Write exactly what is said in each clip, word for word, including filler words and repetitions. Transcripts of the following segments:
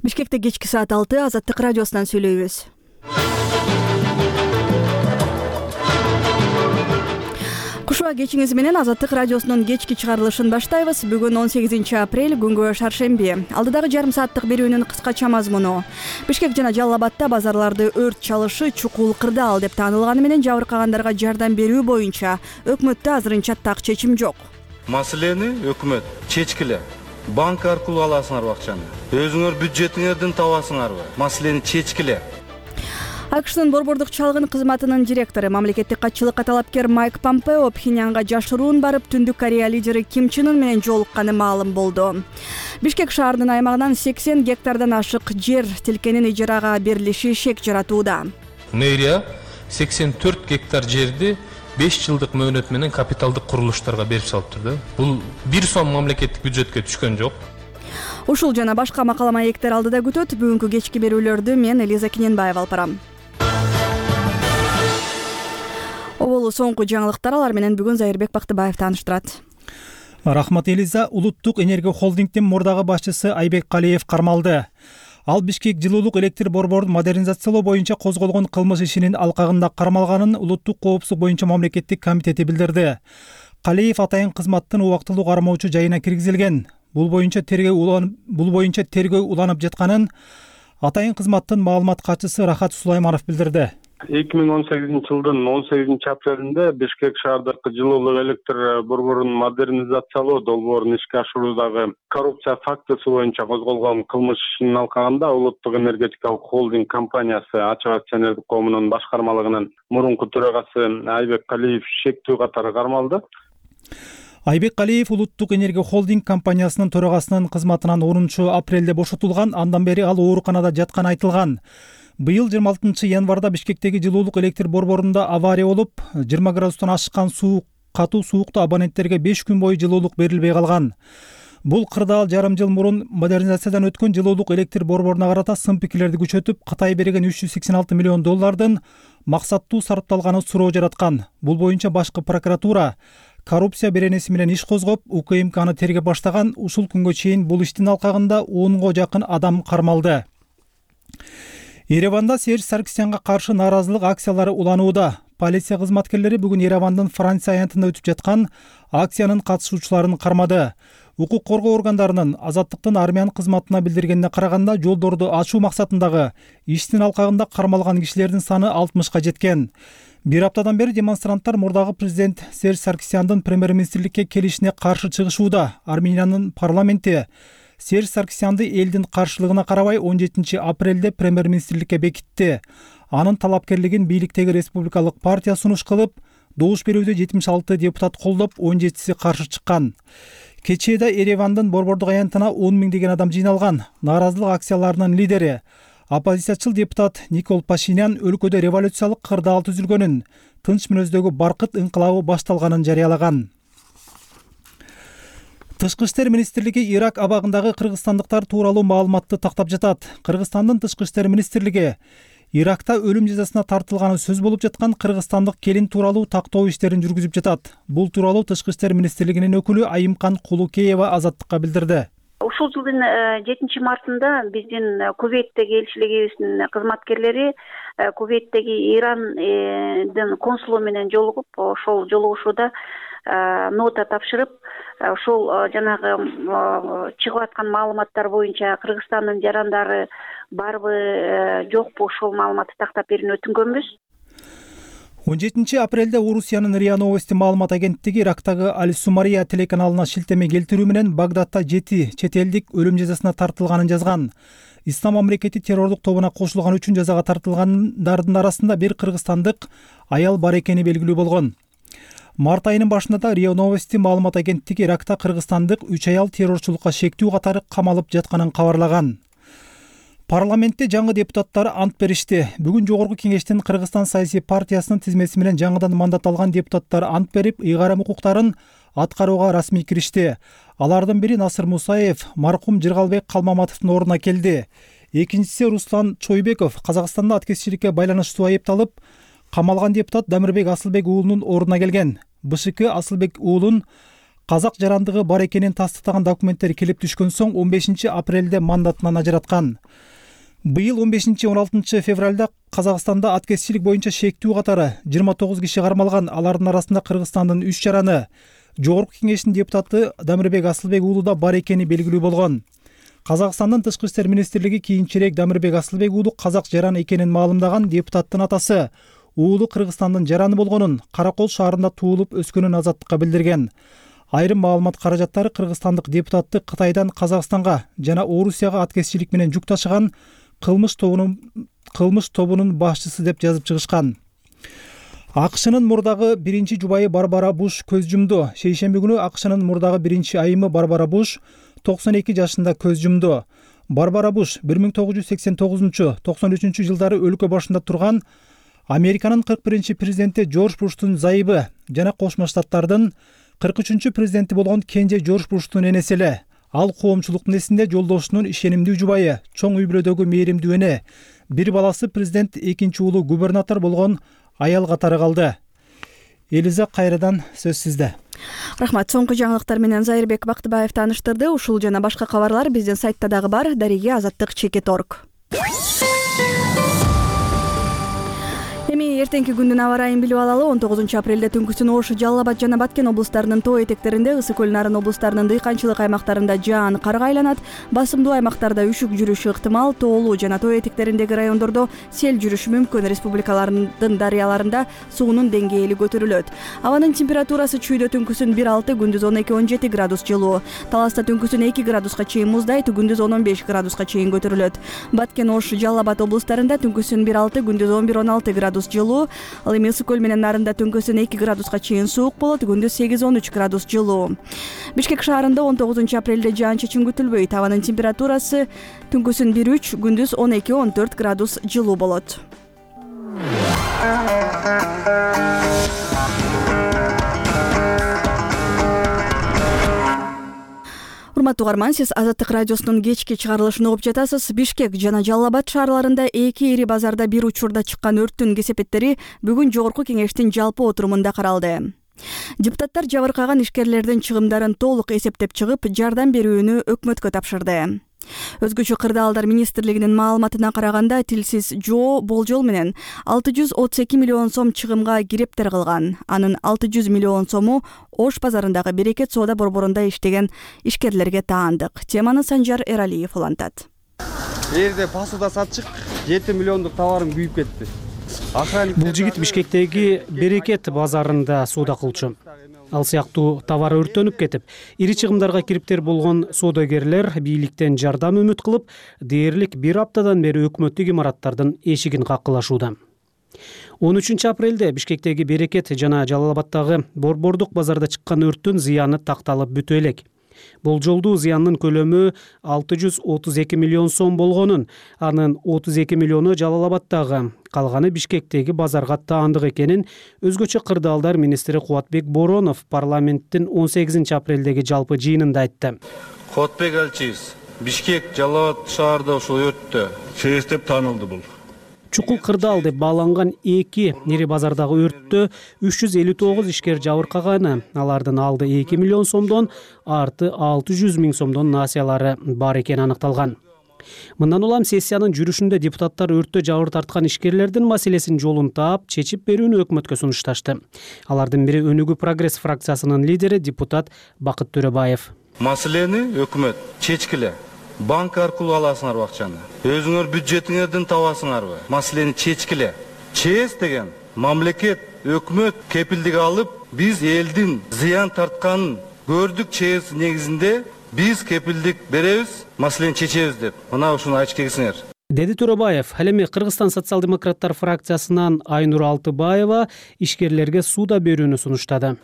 Бишкекте кечки саат алты Азаттык радиосунан сүйлөйбүз. Кушуа кечиңиз менен Азаттык радиосунун кечки чыгарылышын баштайбыз. Бүгүн он сегизинчи апрель, күнгө шаршемби. Алдыдагы жарым сааттык берүүнүн кыскача мазмуну. Бишкек жана Жалал Абадта базарларды өрт чалышы чукул кырдаал деп таанылганы менен жабыркагандарга жардам берүү боюнча өкмөттө азырынча так чечим жок. Маселени өкмөт чечкиле. Банк аркылуу аласыңарбы акчаны? Өзүңөр бюджетиңерден табасыңарбы? Маселени чечкиле. АКШнын борбордук чалгын кызматынын директору, мамлекеттик катчылыкка талапкер Майк Помпео Пхеньянга жашыруун барып, Түндүк Корея лидери Ким Чен Ын менен жолукканы маалым болду. Бишкек шаарынын аймагынан сексен гектардан ашык жер тилкенин ижарага берилиши шек жаратууда. Мэрия сексен төрт гектар жерди беш жылдык мөөнөт менен капиталдык курулуштарга берип салыптыр да. Бул бир сом мамлекеттик бюджетке түшкөн жок. Ушул жана башка макала маектер алдыда күтөт. Бүгүнкү кечки берүүлөрдү мен Элиза Кененбаева алып барам. Оболу соңку жаңылыктар алар менен бүгүн Зайырбек Бактыбаев тааныштырат. Рахмат Элиза. Улуттук энергия холдингдин мурдагы башчысы Айбек Калиев кармалды. Ал Бишкек жылуулук электр борборун модернизациялоо боюнча козголгон кылмыш ишинин алкагында кармалганын Улуттук коопсуздук боюнча мамлекеттик комитети билдирди. Калиев атайын кызматтын убактылуу кармоочу жайына киргизилген. Бул боюнча тергөө уланып, бул боюнча тергөө уланып жатканын атайын кызматтын маалымат катчысы Рахат Сулайманов билдирди. эки миң он сегизинчи жылдын он сегизинчи апрелинде Бишкек шаардык жылуулук электр борборун модернизациялоо долбоорун ишке ашыруудагы коррупция фактысы боюнча козголгон кылмыш ишинин алкагында Улуттук энергетикалык холдинг компаниясы ачык акционердик коомунун башкармалыгынын мурунку төрагасы Айбек Калиев шектүү катары кармалды. Айбек Калиев Улуттук энергия холдинг компаниясынын төрагасынын кызматынан онунчу апрелде бошотулган. Андан бери ал ооруканада жатканы айтылган. Быйыл жыйырма алтынчы январда Бишкектеги жылуулук электр борборунда авария болуп, жыйырма градустан ашкан суу катуу суукта абоненттерге беш күн бою жылуулук берилбей калган. Бул кырдаал жарым жыл мурун модернизациядан өткөн жылуулук электр борборуна карата сын пикирлерди күчөтүп, Кытай берген үч жүз сексен алты миллион доллардын максаттуу сарпталганын суроо жараткан. Бул боюнча башкы прокуратура коррупция беренеси менен иш козгоп, УКМКны тергеп баштаган. Ушул күнгө чейин бул иштин алкагында онго жакын адам кармалды. Ереванда Серж Саркисянга каршы нааразылык акциялары уланууда. Полиция кызматкерлери бүгүн Еревандын Франция аянтында өтүп жаткан акциянын катышуучуларын кармады. Укук коргоо органдарынын Азаттыктын армян кызматына билдиргенине караганда, жолдорду ачуу максатындагы иштин алкагында кармалган кишилердин саны алтымышка жеткен. Бир аптадан бери демонстранттар мурдагы президент Серж Саркисяндын премьер-министрликке келишине каршы чыгышууда. Армениянын парламенти Серж Саркисянды элдин каршылыгына карабай он жетинчи апрелде премьер-министрликке бекитти. Анын талапкерлигин бийликтеги республикалык партия сунуш кылып, добуш берүүдө жетимиш алты депутат колдоп, он жетиси каршы чыккан. Кечээде Еревандын борбордук аянтына он миңдеген адам жыйналган. Нааразылык акцияларынын лидери, оппозициячыл депутат Никол Пашинян өлкөдө революциялык кырдаал түзүлгөнүн, тынч мүнөздөгү баркыт инкылабы башталганын жарыялаган. Тышкы иштер министрлиги Ирак абагындагы кыргызстандыктар тууралуу маалыматты тактап жатат. Кыргызстандын тышкы иштер министрлиги Иракта өлүм жазасына тартылганы сөз болуп жаткан кыргызстандык келин тууралуу тактоо иштерин жүргүзүп жатат. Бул тууралуу Тышкы иштер министрлигинин өкүлү Айымкан Кулукеева Азаттыкка билдирди. Ушул жылдын жетинчи мартында биздин Кувейттеги элчилигибиздин кызматкерлери Кувейттеги Ирандын консулу менен жолугуп, ошол жолугушууда нота тапшырып, ошол жанагы чыгып аткан маалыматтар боюнча Кыргызстандын жарандары барбы, жокпу, ошол маалыматты тактап берүүнү өтүнгөнбүз. он жетинчи апрелде Орусиянын РИА Новости маалымат агенттиги Ирактагы Аль-Сумария телеканалына шилтеме келтирүү менен Багдадта жети чет элдик өлүм жазасына тартылганын жазган. Ислам мамлекети террордук тобуна кошулган үчүн жазага тартылгандардын арасында бир кыргызстандык аял бар экени белгилүү болгон. Март айынын башында да РИА Новости маалымат агенттиги Иракта кыргызстандык үч аял террорчулукка шектүү катары камалып жатканын кабарлаган. Парламентте жаңы депутаттар ант беришти. Бүгүн Жогорку кеңештин Кыргызстан саясий партиясынын тизмеси менен жаңыдан мандат алган депутаттар ант берип, ыйгарым укуктарын аткарууга расмий киришти. Алардын бири Насыр Мусаев, маркум Жыргалбек Калмаматовдун ордуна келди. Экинчиси Руслан Чойбеков, Казакстанда аткезчиликке байланыштуу айыпталып, камалган депутат Дамирбек Асылбек уулунун ордуна келген. БШК Асылбек уулун казак жарандыгы бар экенин тастыктаган документтер келип түшкөн соң он бешинчи апрелде мандатынан ажыраткан. Быйыл он бешинчи он алтынчы февралда Казакстанда аткезчилик боюнча шектүү катары жыйырма тогуз киши кармалган. Алардын арасында Кыргызстандын үч жараны Жогорку Кеңештин депутаты Дамирбек Асылбек уулу да бар экени белгилүү болгон. Казакстандын Тышкы иштер министрлиги кийинчерээк Дамирбек Асылбек уулу казак жараны экенин маалымдаган. Депутаттын атасы уулу Кыргызстандын жараны болгонун, Каракол шаарында туулуп өскөнүн азаттыкка билдирген. Айрым маалымат каражаттары кыргызстандык депутатты Кытайдан Казакстанга жана Орусияга аткезчилик менен жүк ташыган кылмыш тобунун кылмыш тобунун башчысы деп жазып чыгышкан. АКШнын мурдагы биринчи жубайы Барбара Буш көз жумду. Шейшемби күнү АКШнын мурдагы биринчи айымы Барбара Буш токсон эки жашында көз жумду. Барбара Буш бир миң тогуз жүз сексен тогузунчу — токсон үчүнчү жылдары өлкө башында турган Американын кырк биринчи президенти Джордж Буштун зайыбы жана Кошмо Штаттардын кырк үчүнчү президенти болгон кенже Джордж Буштун энеси эле. Ал коомчулуктун эсинде жолдошунун ишенимдүү жубайы, чоң үй бүлөдөгү мээримдүү эне, бир баласы президент, экинчи уулу губернатор болгон аял катары калды. Элиза, кайрадан сөз сизде. Рахмат. Соңку жаңылыктар менен Зайырбек Бактыбаев тааныштырды. Ушул жана башка кабарлар биздин сайтта дагы бар. Дареге азаттык чекит точка орг. Эми эртеңки күндүн аба ырайын билип алалы. он тогузунчу апрелде түнкүсүн Ош, Жалал Абад жана Баткен облустарынын тоо этектеринде, Ысык көл Нарын облустарынын дыйканчылык аймактарында жаан карга айланат. Басымдуу аймактарда үшүк жүрүшү ыктымал. Тоолуу жана тоо этектериндеги райондордо сел жүрүшү мүмкүн. Республикалардын дарыяларында суунун деңгээли көтөрүлөт. Абанын температурасы чүйдө түнкүсүн бир алты, күндүз он эки он жети градус жылуу. Таласта түнкүсүн эки градуска чейин муздайт, күндүз он он беш градуска чейин көтөрүлөт. Баткен, Ош, Жалал Абад облустарында түнкүсүн бир алты, күндүз он бир он алты градус жылуу. Ал эми Ысык көл менен Нарында түнкүсүн эки градуска чейин суук болот, күндүз сегиз он үч градус жылуу. Бишкек шаарында он тогузунчу апрелде жаан-чачын күтүлбөйт. Абанын температурасы түнкүсүн бир үч, күндүз он эки он төрт градус жылуу болот. Урматтуу угарман, сиз Азаттык радиосунун кечки чыгарылышын угуп жатасыз. Бишкек жана Жалал Абад шаарларында эки ири базарда бир учурда чыккан өрттүн кесепеттери бүгүн Жогорку Кеңештин жалпы отурумунда каралды. Депутаттар жабыркаган ишкерлердин чыгымдарын толук эсептеп чыгып, жардам берүүнү өкмөткө тапшырды. Өзгөчө кырдаалдар министрлигинин маалыматына караганда, тилсиз жоо болжол менен алты жүз отуз эки миллион сом чыгымга кирептер кылган. Анын алты жүз миллион сому Ош базарындагы Берекет соода борборунда иштеген ишкерлерге таандык. Теманы Санжар Эралиев улантат. Эрде посуда сатчык жети миллиондук товарым күйүп кетти. Бул жигит Бишкектеги Берекет базарында соода кылчу. Ал сыяктуу товар өрттөнүп кетип, ири чыгымдарга кириптер болгон соодагерлер бийликтен жардам үмүт кылып, дээрлик бир аптадан бери өкмөттүк имараттардын эшигин каккылашууда. он үчүнчү апрелде Бишкектеги Берекет жана Жалал Абадтагы Борбордук базарда чыккан өрттүн зыяны такталып бүтө элек. Болжолдуу зыяндын көлөмү алты жүз отуз эки миллион сом болгонун, анын отуз эки миллиону Жалал Абадтагы, калганы Бишкектеги базарга таандык экенин өзгөчө кырдаалдар министри Кубатбек Боронов парламенттин он сегизинчи апрелдеги жалпы жыйынында айтты. Кубатбек элчибиз, Бишкек, Жалал Абад шаарда ушул өрттө чейис деп таанылды бул. Чукул кырдаал деп бааланган эки ири базардагы өрттө үч жүз элүү тогуз ишкер жабыркаганы, алардын алды эки миллион сомдон, арты алты жүз миң сомдон насыялары бар экени аныкталган. Мындан улам сессиянын жүрүшүндө депутаттар өрттө жабыр тарткан ишкерлердин маселесин жолун таап, чечип берүүнү өкмөткө сунушташты. Алардын бири Өнүгүү прогресс фракциясынын лидери депутат Бакыт Төрөбаев. Маселени өкмөт чечкиле. Банк аркылуу аласыңарбы акчаны? Өзүңөр бюджетиңерден табасыңарбы? Маселени чечкиле. ЧЭС деген мамлекет, өкмөт кепилдик алып, биз элдин зыян тартканын көрдүк. ЧЭС негизинде биз кепилдик беребиз, маселени чечебиз деп. Мына ушуну айтып келсеңер. Деди Төрөбаев. Ал эми Кыргызстан социал-демократтар фракциясынан Айнур Алтыбаева ишкерлерге суда берүүнү сунуштады.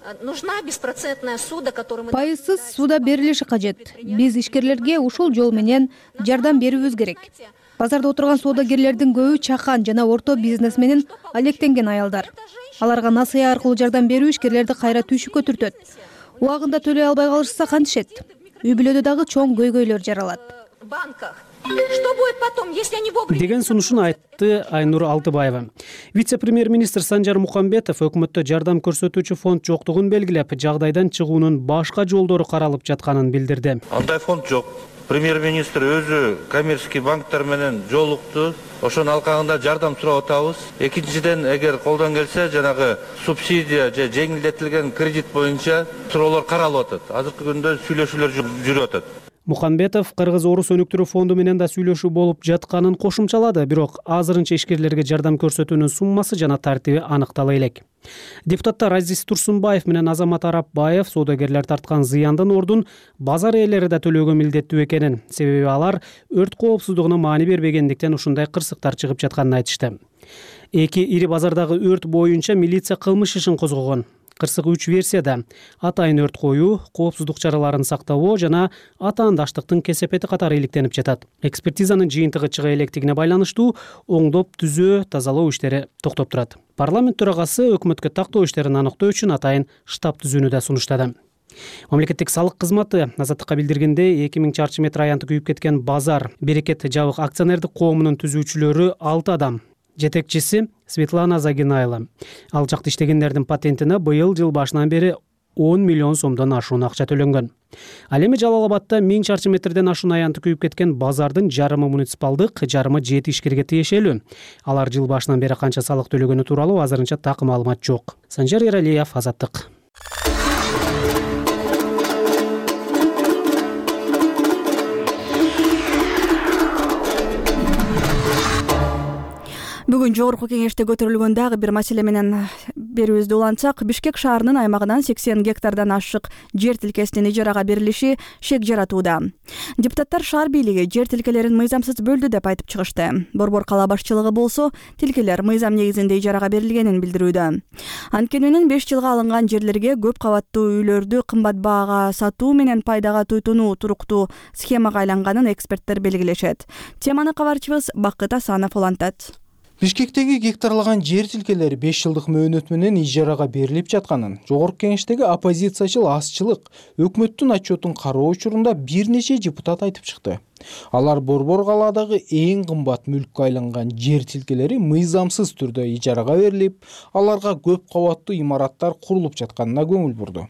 Пайызсыз суда берилиши кажет. Биз ишкерлерге ушул жол менен жардам берүүбүз керек. Базарда отурган соодагерлердин көбү чакан жана орто бизнес менен алектенген аялдар. Аларга насыя аркылуу жардам берүү ишкерлерди кайра түйшүккө түртөт. Убагында төлөй албай калышса кантишет? Үй бүлөдө дагы чоң көйгөйлөр жаралат. В банках Что будет потом, если они вовремя... деген сунушун айтты Айнур Алтыбаева. Вице-премьер-министр Санжар Мукамбетов өкмөттө жардам көрсөтүүчү фонд жоктугун белгилеп, жагдайдан чыгуунун башка жолдору каралып жатканын билдирди. Андай фонд жок. Премьер-министр өзү коммерческий банктар менен жолукту. Ошонун алкагында жардам сурап атабыз. Экинчиден, эгер колдон келсе, жанагы субсидия же жеңилдетилген кредит боюнча суроолор каралып атат. Азыркы күндө сүйлөшүүлөр жүрүп атат. Мукамбетов Кыргыз-Орус өнүктүрүү фонду менен да сүйлөшүү болуп жатканын кошумчалады, бирок азырынча ишкерлерге жардам көрсөтүүнүн суммасы жана тартиби аныктала элек. Депутаттар Азиз Турсунбаев менен Азамат Арапбаев соодагерлер тарткан зыяндын ордун базар ээлери да төлөөгө милдеттүү экенин, себеби алар өрт коопсуздугуна маани бербегендиктен ушундай кырсыктар чыгып жатканын айтышты. Эки ири базардагы өрт боюнча милиция кылмыш ишин козгогон. Кырсык үч версияда: атайын өрт коюу, коопсуздук чараларын сактабоо жана атаандаштыктын кесепети катары иликтенип жатат. Экспертизанын жыйынтыгы чыга электигине байланыштуу оңдоп түзөө, тазалоо иштери токтоп турат. Парламент төрагасы өкмөткө тактоо иштерин аныктоо үчүн атайын штаб түзүүнү да сунуштады. Мамлекеттик салык кызматы Азаттыкка билдиргендей, эки миң чарчы метр аянты күйүп кеткен базар Берекет жабык акционердик коомунун түзүүчүлөрү алты адам. Жетекчиси Светлана Загинайла. Ал жакта иштегендердин патентине быйыл жыл башынан бери он миллион сомдон ашуун акча төлөнгөн. Ал эми Жалал Абадта миң чарчы метрден ашуун аянты күйүп кеткен базардын жарымы муниципалдык, жарымы жети ишкерге тиешелүү. Алар жыл башынан бери канча салык төлөгөнү тууралуу азырынча так маалымат жок. Санжар Эралиев, Азаттык. Бүгүн жогорку кеңеште көтөрүлгөн дагы бир маселе менен берүүбүздү улантсак, Бишкек шаарынын аймагынан сексен гектардан ашык жер тилкесинин ижарага берилиши шек жаратууда. Депутаттар шаар бийлиги жер тилкелерин мыйзамсыз бөлдү деп айтып чыгышты. Борбор кала башчылыгы болсо, тилкелер мыйзам негизинде ижарага берилгенин билдирүүдө. Анткени беш жылга алынган жерлерге көп кабаттуу үйлөрдү кымбат баага сатуу менен пайдага туйтунуу туруктуу схемага айланганын эксперттер белгилешет. Теманы кабарчыбыз Бакыт Асанов улантат. Бишкектеги гектарлаган жер тилкелери беш жылдык мөөнөт менен ижарага берилип жатканын жогорку кеңештеги оппозициячыл азчылык өкмөттүн отчетун кароо учурунда бир нече депутат айтып чыкты. Алар Борбор калаадагы эң кымбат мүлккө айланган жер тилкелери мыйзамсыз түрдө ижарага берилип, аларга көп кабаттуу имараттар курулуп жатканына көңүл бурду.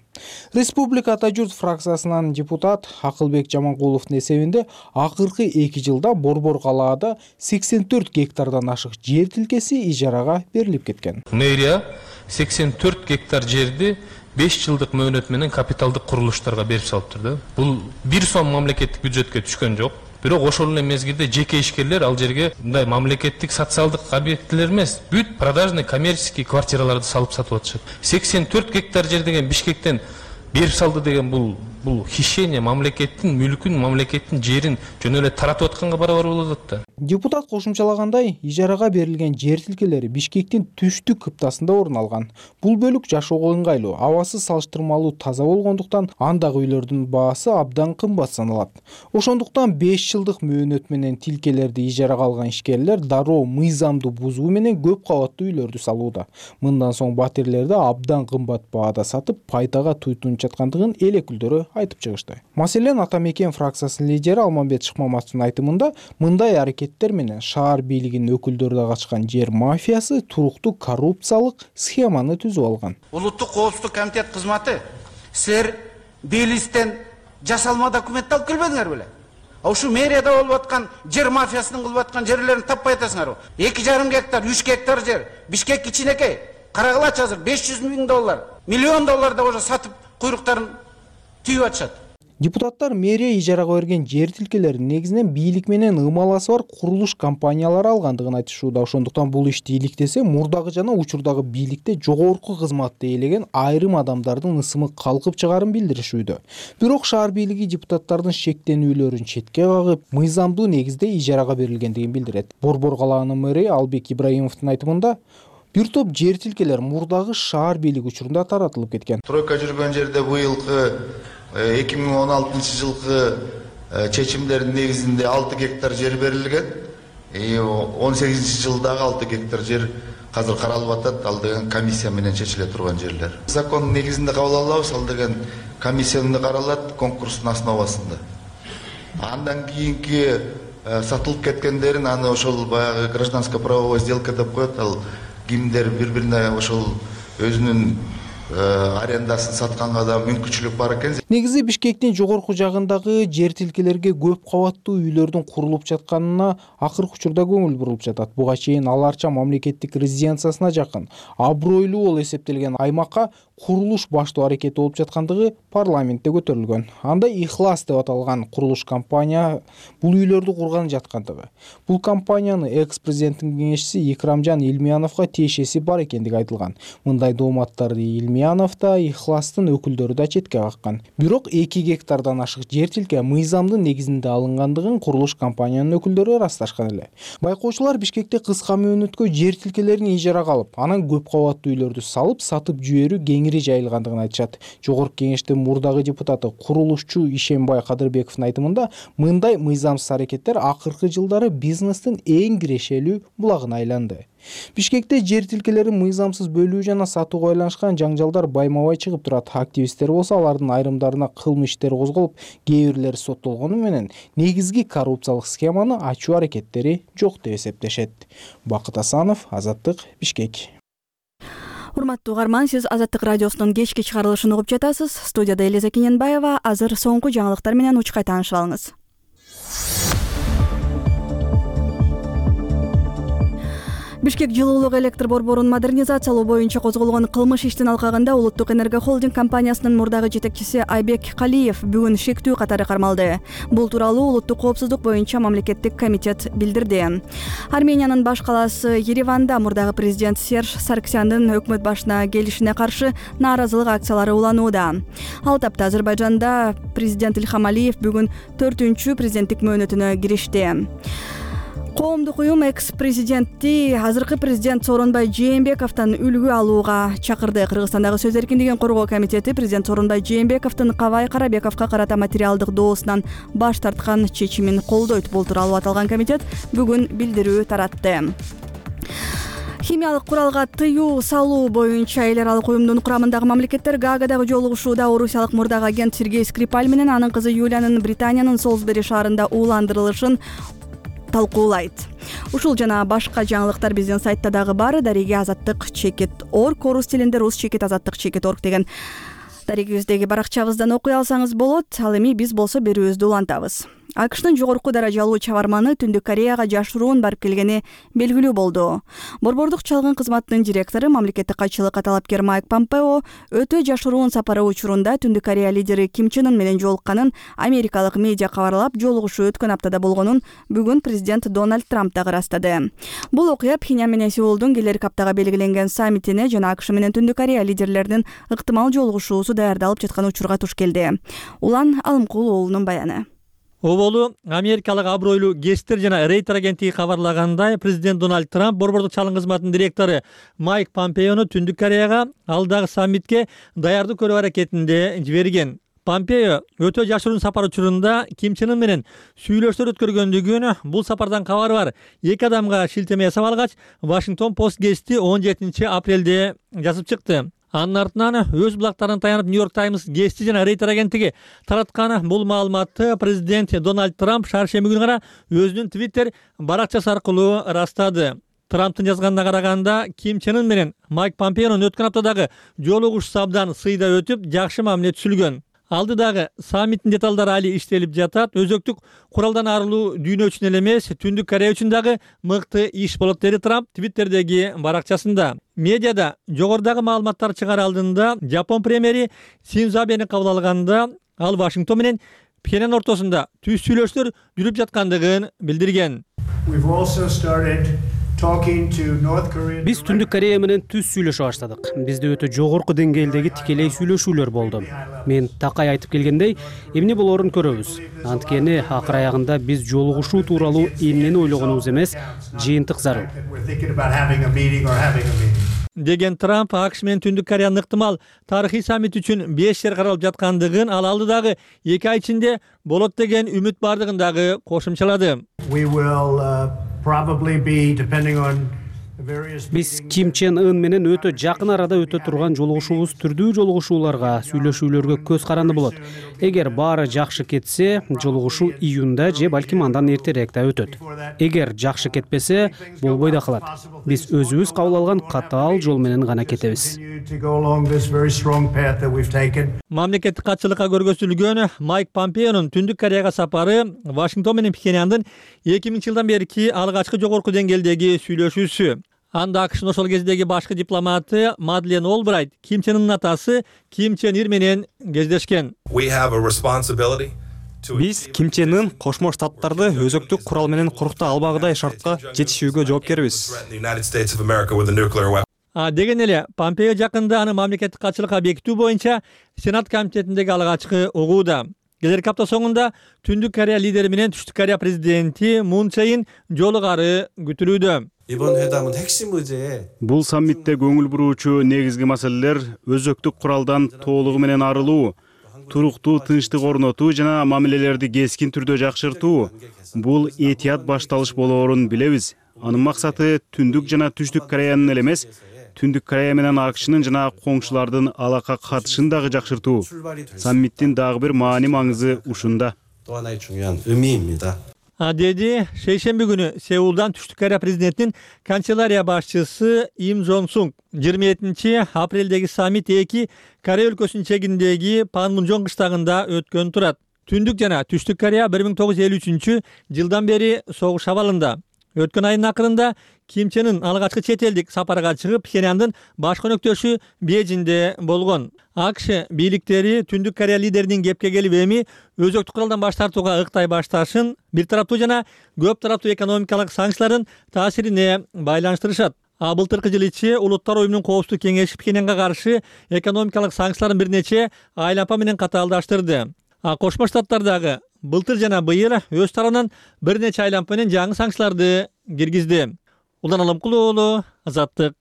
Республика Ата журт фракциясынан депутат Акылбек Жаманкуловдун эсебинде акыркы эки жылда Борбор калаада сексен төрт гектардан ашык жер тилкеси ижарага берилип кеткен. Мэрия сексен төрт гектар жерди беш жылдык мөөнөт менен капиталдык курулуштарга берип салыптыр да. Бул бир сом мамлекеттик бюджетке түшкөн жок. Бирок ошол эле мезгилде жеке ишкерлер ал жерге мындай мамлекеттик социалдык объектилер эмес, бүт продажный коммерческий квартираларды салып сатып атышат. сексен төрт гектар жер деген Бишкектен берип салды деген бул бул хищение, мамлекеттин мүлкүн, мамлекеттин жерин жөн эле таратып атканга барабар болот да. Депутат кошумчалагандай, ижарага берилген жер тилкелери Бишкектин түштүк кыптасында орун алган. Бул бөлүк жашоого ыңгайлуу, абасы салыштырмалуу таза болгондуктан андагы үйлөрдүн баасы абдан кымбат саналат. Ошондуктан беш жылдык мөөнөт менен тилкелерди ижарага алган ишкерлер дароо мыйзамды бузуу менен көп кабаттуу үйлөрдү салууда. Мындан соң батирлерди абдан кымбат баада сатып, пайдага туйтунуп жаткандыгын эл өкүлдөрү айтып чыгышты. Маселен, Ата Мекен фракциясынын лидери Алмамбет Шыкмаматовдун айтымында, мындай аракеттер менен шаар бийлигинин өкүлдөрү да качкан жер мафиясы туруктуу коррупциялык схеманы түзүп алган. Улуттук коопсуздук комитет кызматы силер Белистен жасалма документти алып келбедиңер беле? Ошо мэрияда болуп аткан жер мафиясынын кылып аткан жерлерин таппай атасыңарбы? эки жарым гектар, үч гектар жер Бишкек кичинекей. Карагылачы азыр беш жүз миң доллар, миллион доллар да уже сатып куйруктарын түйүп атышат. Депутаттар мэрия ижарага берген жер тилкелерин негизинен бийлик менен ымаласы бар курулуш компаниялары алгандыгын айтышууда. Ошондуктан бул ишти иликтесе, мурдагы жана учурдагы бийликте жогорку кызматты ээлеген айрым адамдардын ысымы калкып чыгарын билдиришүүдө. Бирок шаар бийлиги депутаттардын шектенүүлөрүн четке кагып, мыйзамдуу негизде ижарага берилгендигин билдирет. Борбор калаанын мэри Албек Ибраимовдун айтымында, бир топ жер тилкелер мурдагы шаар бийлиги учурунда таратылып кеткен. Тройка жүргөн жерде быйылкы эки миң он алтынчы жылкы чечимдердин негизинде алты гектар жер берилген. он сегизинчи жылдагы алты гектар жер азыр каралып атат. Ал деген комиссия менен чечиле турган жерлер. Закон негизинде кабыл алабыз, ал деген комиссияда каралат конкурстун основасында. Андан кийинки сатылып кеткендерин аны ошол баягы гражданско правовой сделка деп коет. Ал кимдер бири бирине ошол өзүнүн арендасын сатканга да мүмкүнчүлүк бар экен. Негизи Бишкектин жогорку жагындагы жер тилкелерге көп кабаттуу үйлөрдүн курулуп жатканына акыркы учурда көңүл бурулуп жатат. Буга чейин аларча мамлекеттик резиденциясына жакын, абройлуу болуп эсептелген аймакка курулуш баштоо аракети болуп жаткандыгы парламентте көтөрүлгөн. Анда Ихлас деп аталган курулуш компания бул үйлөрдү курган жаткандыгы. Бул компанияны экс-президенттин кеңешчиси Икрамжан Илмияновго тиешеси бар экендиги айтылган. Мындай дооматтарды Илмиянов да, Ихластын өкүлдөрү да четке каккан. Бирок эки гектардан ашык жер тилке мыйзамдын негизинде алынгандыгын курулуш компаниянын өкүлдөрү ырасташкан эле. Байкоочулар Бишкекте кыска мөөнөткө жер тилкелерин ижарага алып, анан көп кабаттуу үйлөрдү салып, сатып жиберүү кеңири жайылгандыгын айтышат. Жогорку кеңештин мурдагы депутаты, курулушчу Ишембай Кадырбековдун айтымында, мындай мыйзамсыз аракеттер акыркы жылдары бизнестин эң кирешелүү булагына айланды. Бишкекте жер тилкелерин мыйзамсыз бөлүү жана сатууга байланышкан жаңжалдар байма-бай чыгып турат. Активисттер болсо алардын айрымдарына кылмыш иштери козголуп, кээ бирлери соттолгону менен негизги коррупциялык схеманы ачуу аракеттери жок деп эсептешет. Бакыт Асанов, Азаттык, Бишкек. Урматтуу угарман, сиз Азаттык радиосунун кечки чыгарылышын угуп жатасыз. Студияда Элиза Кененбаева. Азыр соңку жаңылыктар менен учкай таанышып алыңыз. Бишкек жылуулук электр борборун модернизациялоо боюнча козголгон кылмыш иштин алкагында Улуттук энерго холдинг компаниясынын мурдагы жетекчиси Айбек Калиев бүгүн шектүү катары кармалды. Бул тууралуу улуттук коопсуздук боюнча мамлекеттик комитет билдирди. Армениянын баш калаасы Ереванда мурдагы президент Серж Сарксяндын өкмөт башына келишине каршы нааразылык акциялары уланууда. Ал тапта Азербайжанда президент Илхам Алиев бүгүн төртүнчү президенттик мөөнөтүнө киришти. Коомдук уюм экс-президентти азыркы президент Сооронбай Жээнбековдон үлгү алууга чакырды. Кыргызстандагы сөз эркиндигин коргоо комитети президент Сооронбай Жээнбековдун Кабай Карабековго карата материалдык доосунан баш тарткан чечимин колдойт. Бул тууралуу аталган комитет бүгүн билдирүү таратты. Химиялык куралга тыюу салуу боюнча эл аралык уюмдун курамындагы мамлекеттер Гаагадагы жолугушууда орусиялык мурдагы агент Сергей Скрипаль менен анын кызы Юлиянын Британиянын Солсбери шаарында ууландырылышын талкуулайт. Ушул жана башка жаңылыктар биздин сайтта дагы бар. Дареги азаттык чекит орг, орус тилинде рус чекит азаттык чекит орг деген дарегибиздеги баракчабыздан окуй алсаңыз болот. Ал эми биз болсо берүүбүздү улантабыз. АКШтын жогорку даражалуу чабарманы Түндүк Кореяга жашыруун барып келгени белгилүү болду. Борбордук чалгын кызматынын директору, мамлекеттик катчылык талапкер Майк Помпео өтө жашыруун сапары учурунда Түндүк Корея лидери Ким Чен Ын менен жолукканын америкалык медиа кабарлап, жолугушуу өткөн аптада болгонун бүгүн президент Дональд Трамп дагы ырастады. Бул окуя Пхеньян менен Сеулдун келерки аптага белгиленген саммитине жана АКШ менен Түндүк Корея лидерлеринин ыктымал жолугушуусу даярдалып жаткан учурга туш келди. Улан Алымкул уулунун баяны. Оболу америкалык абройлуу Гестер жана Рейтер агенттиги кабарлагандай, президент Дональд Трамп борбордук чалгын кызматынын директору Майк Помпеону Түндүк Кореяга алдагы саммитке даярдык көрүү аракетинде жиберген. Помпео өтө жашыруун сапар учурунда Ким Чен Ын менен сүйлөшүүлөр өткөргөндүгүн, бул сапардан кабары бар эки адамга шилтеме жасап алгач, Washington Post гезити он жетинчи апрелде жазып чыкты. Анын артынан өз булактарына таянып Нью-Йорк Таймс гезити жана Рейтер агенттиги тараткан бул маалыматты президент Дональд Трамп шаршемби күнү гана өзүнүн Twitter баракчасы аркылуу ырастады. Трамптын жазганына караганда, Ким Чен Ын менен Майк Помпеонун өткөн аптадагы жолугушуусу абдан сыйда өтүп, жакшы мамиле түзүлгөн. Алдыдагы саммиттин деталдары али иштелип жатат. Өзөктүк куралдан арылуу дүйнө үчүн эле эмес, Түндүк Корея үчүн дагы мыкты иш болот, деди Трамп Твиттердеги баракчасында. Медиада жогорудагы маалыматтар чыгаар алдында Жапон премьери Синдзо Абени кабыл алганда, ал Вашингтон менен Пхеньян ортосунда түз сүйлөшүүлөр жүрүп жаткандыгын билдирген. Биз Түндүк Корея менен түз сүйлөшө баштадык. Бизде өтө жогорку деңгээлдеги тикелей сүйлөшүүлөр болду. Мен такай айтып келгендей, эмне болоорун көрөбүз. Анткени акыр аягында биз жолугушуу тууралуу эмнени ойлогонубуз эмес, жыйынтык зарыл. Деген Трамп АКШ менен Түндүк Кореянын ыктымал тарыхый саммит үчүн беш жер каралып жаткандыгын, ал алдыдагы эки ай ичинде болот деген үмүт бардыгын дагы кошумчалады. Биз Ким Чен Ын менен өтө жакын арада өтө турган жолугушуубуз түрдүү жолугушууларга, сүйлөшүүлөргө көз каранды болот. Эгер баары жакшы кетсе, жолугушуу июнда же балким андан эртерээк да өтөт. Эгер жакшы кетпесе, болбой да калат. Биз өзүбүз кабыл алган катаал жол менен гана кетебиз. Мамлекеттик катчылыкка көргөзүлгөн Майк Помпеонун Түндүк Кореяга сапары Вашингтон менен Пхеньяндын эки миңинчи жылдан берки алгачкы жогорку деңгээлдеги сүйлөшүүсү. Анда АКШнын ошол кездеги башкы дипломаты Мадлен Олбрайт Ким Чен Ынын атасы Ким Чен Ир менен кездешкен. Биз Ким Чен Ын Кошмо Штаттарды өзөктүк курал менен курукта албагыдай шартка жетишүүгө жоопкербиз. А деген эле Помпео жакында аны мамлекеттик катчылыкка бекитүү боюнча Сенат комитетиндеги алгачкы угууда. Келерки апта соңунда Түндүк Корея лидери менен Түштүк Корея президенти Мун Чже Ин жолугары күтүлүүдө. Бул саммитте көңүл буруучу негизги маселелер өзөктүк куралдан толугу менен арылуу, туруктуу тынчтык орнотуу жана мамилелерди кескин түрдө жакшыртуу. Бул этият башталыш болоорун билебиз. Анын максаты Түндүк жана Түштүк Кореянын эле эмес, Түндүк Корея менен АКШнын жана коңшулардын алака катышын дагы жакшыртуу. Саммиттин дагы бир маани маңызы ушунда. Деди шейшемби күнү Сеулдан Түштүк Корея президентинин канцелярия башчысы Им Жон Сунг. жыйырма жетинчи апрелдеги саммит эки Корея өлкөсүнүн чегиндеги Панмунжон кыштагында өткөн турат. Түндүк жана Түштүк Корея бир миң тогуз жүз элүү үчүнчү жылдан бери согуш абалында. Өткөн айдын акырында Ким Чен Ын алгачкы чет элдик сапарга чыгып, Пхеньяндын баш өнөктөшү Бейжиңде болгон. АКШ бийликтери Түндүк Корея лидеринин кепке келип эми өзөктүк куралдан баш тартууга ыктай башташын бир тараптуу жана көп тараптуу экономикалык санкциялардын таасирине байланыштырышат. А былтыркы жыл ичи Улуттар оюмунун коопсуздук кеңеши Пхеньянга каршы экономикалык санкцияларын бир нече айлампа менен катаалдаштырды. А Кошмо Штаттардагы былтыр жана быйыл өз тарабынан бир нече айлампа менен жаңы санкцияларды киргизди. Улан Алымкулуу уулу, Азаттык.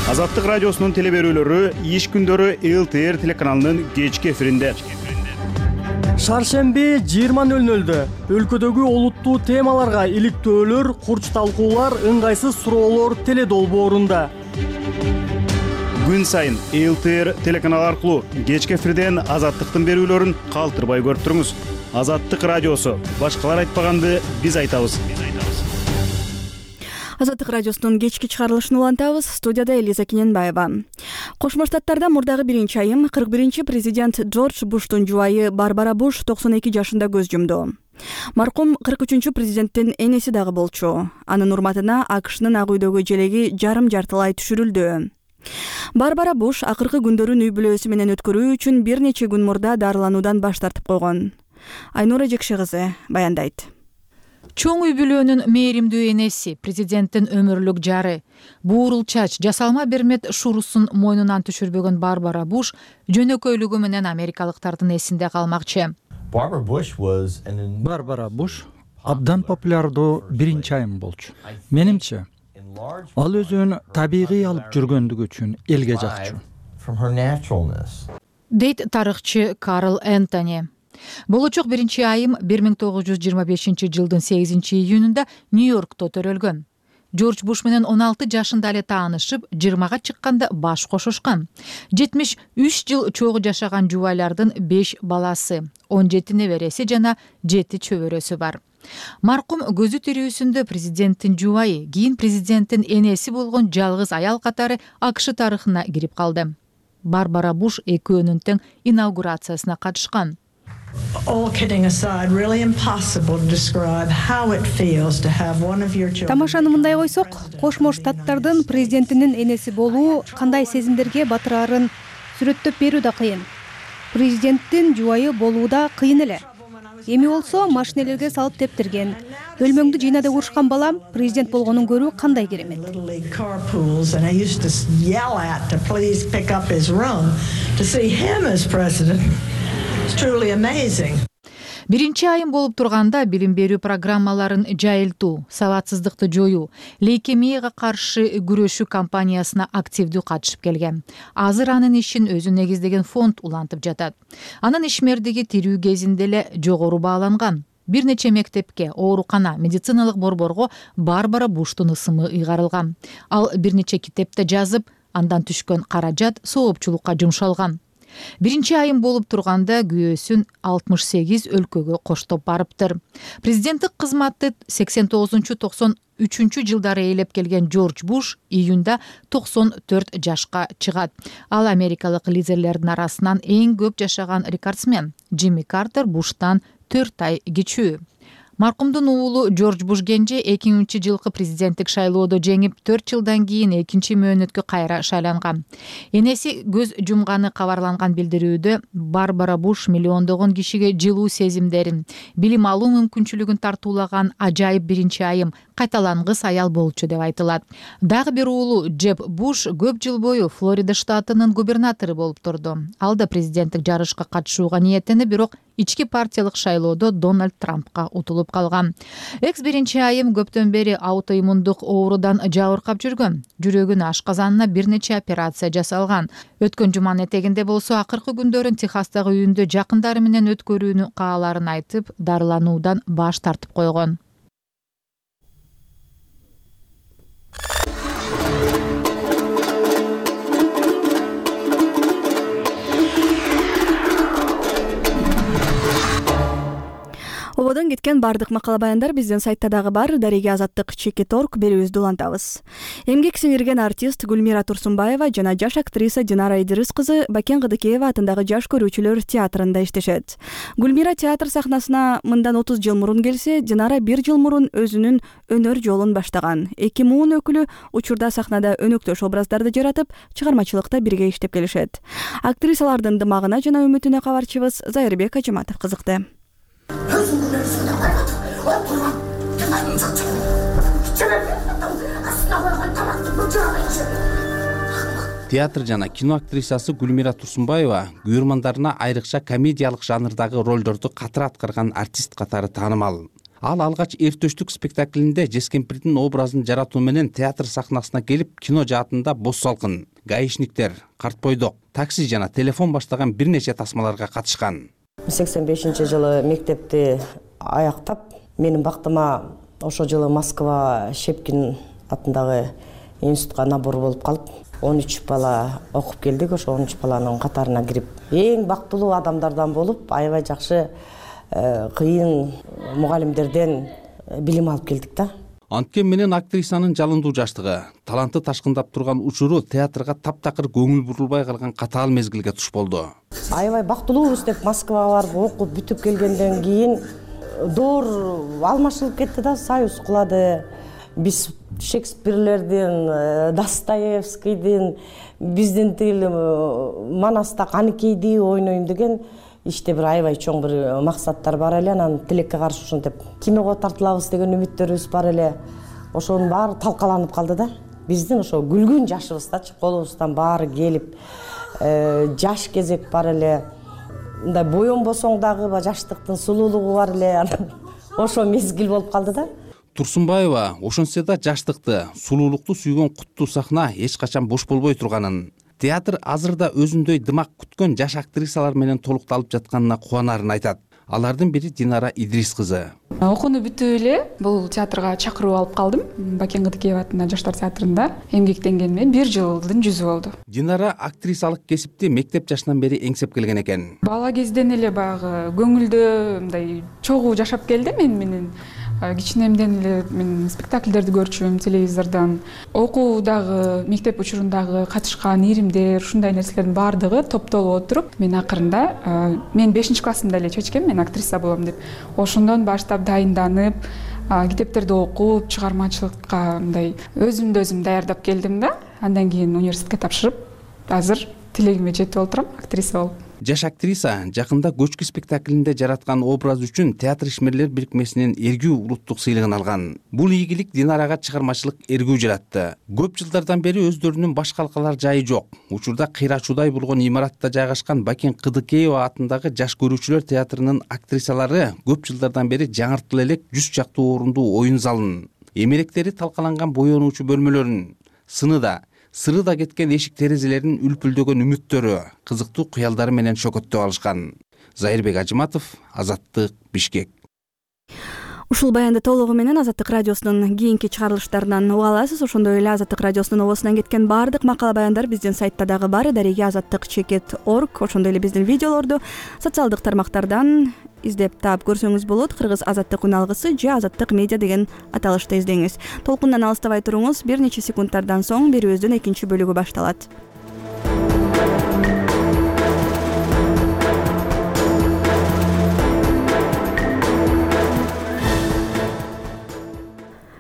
Азаттык радиосунун телеберүүлөрү иш күндөрү эл тэ эр телеканалынын кечки эфиринде. Шаршемби жыйырма нөл нөлдө өлкөдөгү олуттуу темаларга иликтөөлөр, курч талкуулар, ыңгайсыз суроолор теле долбоорунда. Күн сайын эл тэ эр телеканалы аркылуу кечки эфирден Азаттыктын берүүлөрүн калтырбай көрүп туруңуз. Азаттык радиосу. Башкалар айтпаганды биз айтабыз. Азаттык радиосунун кечки чыгарылышын улантабыз. Студияда Элиза Кененбаева. Кошмо Штаттарда мурдагы биринчи айым кырк биринчи президент Джордж Буштун жубайы Барбара Буш токсон эки жашында көз жумду. Маркум кырк үчүнчү президенттин энеси дагы болчу. Анын урматына АКШнын ак үйдөгү желеги жарым жартылай түшүрүлдү. Барбара Буш акыркы күндөрүн үй бүлөсү менен өткөрүү үчүн бир нече күн мурда дарылануудан баш тартып койгон. Айнура Жекши кызы баяндайт. Чоң үй бүлөнүн мээримдүү энеси, президенттин өмүрлүк жары, буурул чач, жасалма бермет шурусун мойнунан түшүрбөгөн Барбара Буш жөнөкөйлүгү менен америкалыктардын эсинде калмакчы. Барбара Буш абдан популярдуу биринчи айым болчу. Менимче, ал өзүн табигый алып жүргөндүгү үчүн элге жакчу. Дейт тарыхчы Карл Энтони. Болочок биринчи айым бир миң тогуз жүз жыйырма бешинчи жылдын сегизинчи июнунда Нью-Йоркто төрөлгөн. Джордж Буш менен он алты жашында эле таанышып, жыйырмага чыкканда баш кошушкан. жетимиш үч жыл чогуу жашаган жубайлардын беш баласы, он жети небереси жана жети чөбөрөсү бар. Маркум көзү тирүүсүндө президенттин жубайы, кийин президенттин энеси болгон жалгыз аял катары АКШ тарыхына кирип калды. Барбара Буш экөөнүн тең инаугурациясына катышкан. Тамашаны мындай койсок, Кошмо Штаттардын президентинин энеси болуу кандай сезимдерге батырарын сүрөттөп берүү да кыйын. Президенттин жубайы болуу да кыйын эле. Эми болсо машинелерге салып тептирген. Бөлмөңдү жыйнада урушкан балам президент болгонун көрүү кандай керемет. Биринчи айым болуп турганда билим берүү программаларын жайылтуу, сабатсыздыкты жоюу, лейкемияга каршы күрөшүү кампаниясына активдүү катышып келген. Азыр анын ишин өзү негиздеген фонд улантып жатат. Анын ишмердиги тирүү кезинде эле жогору бааланган. бир нече мектепке, оорукана, медициналык борборго Барбара Буштун ысымы ыйгарылган. Ал бир нече китепте жазып, андан түшкөн каражат соопчулукка жумшалган. Биринчи айым болуп турганда күйөөсүн алтымыш сегиз өлкөгө коштоп барыптыр. Президенттик кызматты сексен тогузунчу токсон үчүнчү жылдары ээлеп келген Джордж Буш июнда токсон төрт жашка чыгат. Ал америкалык лидерлердин арасынан эң көп жашаган рекордсмен. Джимми Картер Буштан төрт ай кичүү. Маркумдун уулу Джордж Буш кенже эки миңинчи жылкы президенттик шайлоодо жеңип, төрт жылдан кийин экинчи мөөнөткө кайра шайланган. Энеси көз жумганы кабарланган билдирүүдө Барбара Буш миллиондогон кишиге жылуу сезимдерин, билим алуу мүмкүнчүлүгүн тартуулаган ажайып биринчи айым, кайталангыс аял болчу деп айтылат. Дагы бир уулу Джеб Буш көп жыл бою Флорида штатынын губернатору болуп турду. Ал да президенттик жарышка катышууга ниеттенип, бирок ички партиялык шайлоодо Дональд Трампка утулуп калган. Экс биринчи айым көптөн бери аутоиммундук оорудан жабыркап жүргөн. Жүрөгүнүн ашказанына бир нече операция жасалган. Өткөн жуманын этегинде болсо акыркы күндөрүн Техастагы үйүндө жакындары менен өткөрүүнү кааларын айтып, дарылануудан баш тартып койгон. Ободон кеткен бардык макала баяндар биздин сайтта дагы бар. Дареге азаттык чекит орг берүүбүздү улантабыз. Эмгек сиңирген артист Гүлмира Турсунбаева жана жаш актриса Динара Идирис кызы Бакен Кыдыкеева атындагы жаш көрүүчүлөр театрында иштешет. Гүлмира театр сахнасына мындан отуз жыл мурун келсе, Динара бир жыл мурун өзүнүн өнөр жолун баштаган. Эки муун өкүлү учурда сахнада өнөктөш образдарды жаратып, чыгармачылыкта бирге иштеп келишет. Актрисалардын дымагына жана үмүтүнө кабарчыбыз Зайырбек Ажыматов кызыкты. Театр жана кино актрисасы Гүлмира Турсунбаева күйөрмандарына айрыкча комедиялык жанрдагы ролдорду катыр аткарган артист катары таанымал. Ал алгач Эртөштүк спектаклинде Жескемпирдин образын жаратуу менен театр сахнасына келип, кино жаатында Боз салкын, Гаишниктер, Карт бойдок, Такси жана Телефон баштаган бир нече тасмаларга катышкан. сексен бешинчи жылы мектепти аяктап, менин бактыма ошол жылы Москва Щепкин атындагы институтка набор болуп калып, он үч бала окуп келдик. Ошо он үч баланын катарына кирип, эң бактылуу адамдардан болуп, аябай жакшы кыйын мугалимдерден билим алып келдик да. Анткен менен актрисанын жалындуу жаштыгы, таланты ташкындап турган учуру театрга таптакыр көңүл бурулбай калган катаал мезгилге туш болду. Аябай бактылуубуз деп Москвага барып окуп бүтүп келгенден кийин доор алмашылып кетти да, союз кулады. Биз Шекспирлердин, Достоевскийдин, биздин тил Манаста Каныкейди ойнойм деген иште бир аябай чоң бир максаттар бар эле. Анан тилекке каршы ушинтип киного тартылабыз деген үмүттөрүбүз бар эле. Ошонун баары талкаланып калды да. Биздин ошо күлгүн жашыбыздачы колубуздан баары келип, жаш кезек бар эле. Мындай боенбосоң дагы жаштыктын сулуулугу бар эле. Ошо мезгил болуп калды да. Турсунбаева ошончо да жаштыкты, сулуулукту сүйгөн куттуу сахна эч качан бош болбой турганын, театр азыр да өзүндөй дымак күткөн жаш актрисалар менен толукталып жатканына кубанарын айтат. Алардын бири Динара Идрис кызы. Окууну бүтүп эле бул театрга чакыруу алып калдым. Бакен Кыдыкеева атындагы жаштар театрында эмгектенгениме бир жылдын жүзү болду. Динара актрисалык кесипти мектеп жашынан бери эңсеп келген экен. Бала кезден эле баягы көңүлдө мындай чогуу жашап келди мен менен. Кичинемден эле мен спектакльдерди көрчүм телевизордон. Окуудагы, мектеп учурундагы катышкан иримдер, ушундай нерселердин баардыгы топтолуп отуруп, мен акырында мен бешинчи классымда эле чечкем мен актриса болом деп. Ошондон баштап дайынданып, китептерди окуп, чыгармачылыкка мындай өзүмдү өзүм даярдап келдим да. Андан кийин университетке тапшырып, азыр тилегиме жетип отурам, актриса болуп. Жаш актриса жакында Көчкү спектаклинде жараткан образ үчүн Театр ишмерлер бирикмесинен эргүү улуттук сыйлыгын алган. Бул ийгилик Динарага чыгармачылык эргүү жаратты. Көп жылдардан бери өздөрүнүн баш калкалар жайы жок. Учурда кыйрачуудай болгон имаратта жайгашкан Бакен Кыдыкеева атындагы жаш көрүүчүлөр театрынын актрисалары көп жылдардан бери жаңыртыл элек жүз чактуу орундуу оюн залын, эмеректери талкаланган боенуучу бөлмөлөрүн, сыныда сырыда кеткен эшик терезелеринин үлпүлдөгөн үмүттөрү, кызыктуу кыялдары менен шөкөттөп алышкан. Зайырбек Ажыматов, Азаттык, Бишкек. Ушул баянды толугу менен Азаттык радиосунун кийинки чыгарылыштарынан уга аласыз. Ошондой эле Азаттык радиосунун обосунан кеткен баардык макала баяндар биздин сайтта дагы бар. Дареги азаттык чекит точка орг. Ошондой эле биздин видеолорду социалдык тармактардан издеп таап көрсөңүз болот. Кыргыз азаттык үн алгысы же азаттык медиа деген аталышта издеңиз. Толкундан алыстабай туруңуз. Бир нече секундтардан соң берүүбүздүн экинчи бөлүгү башталат.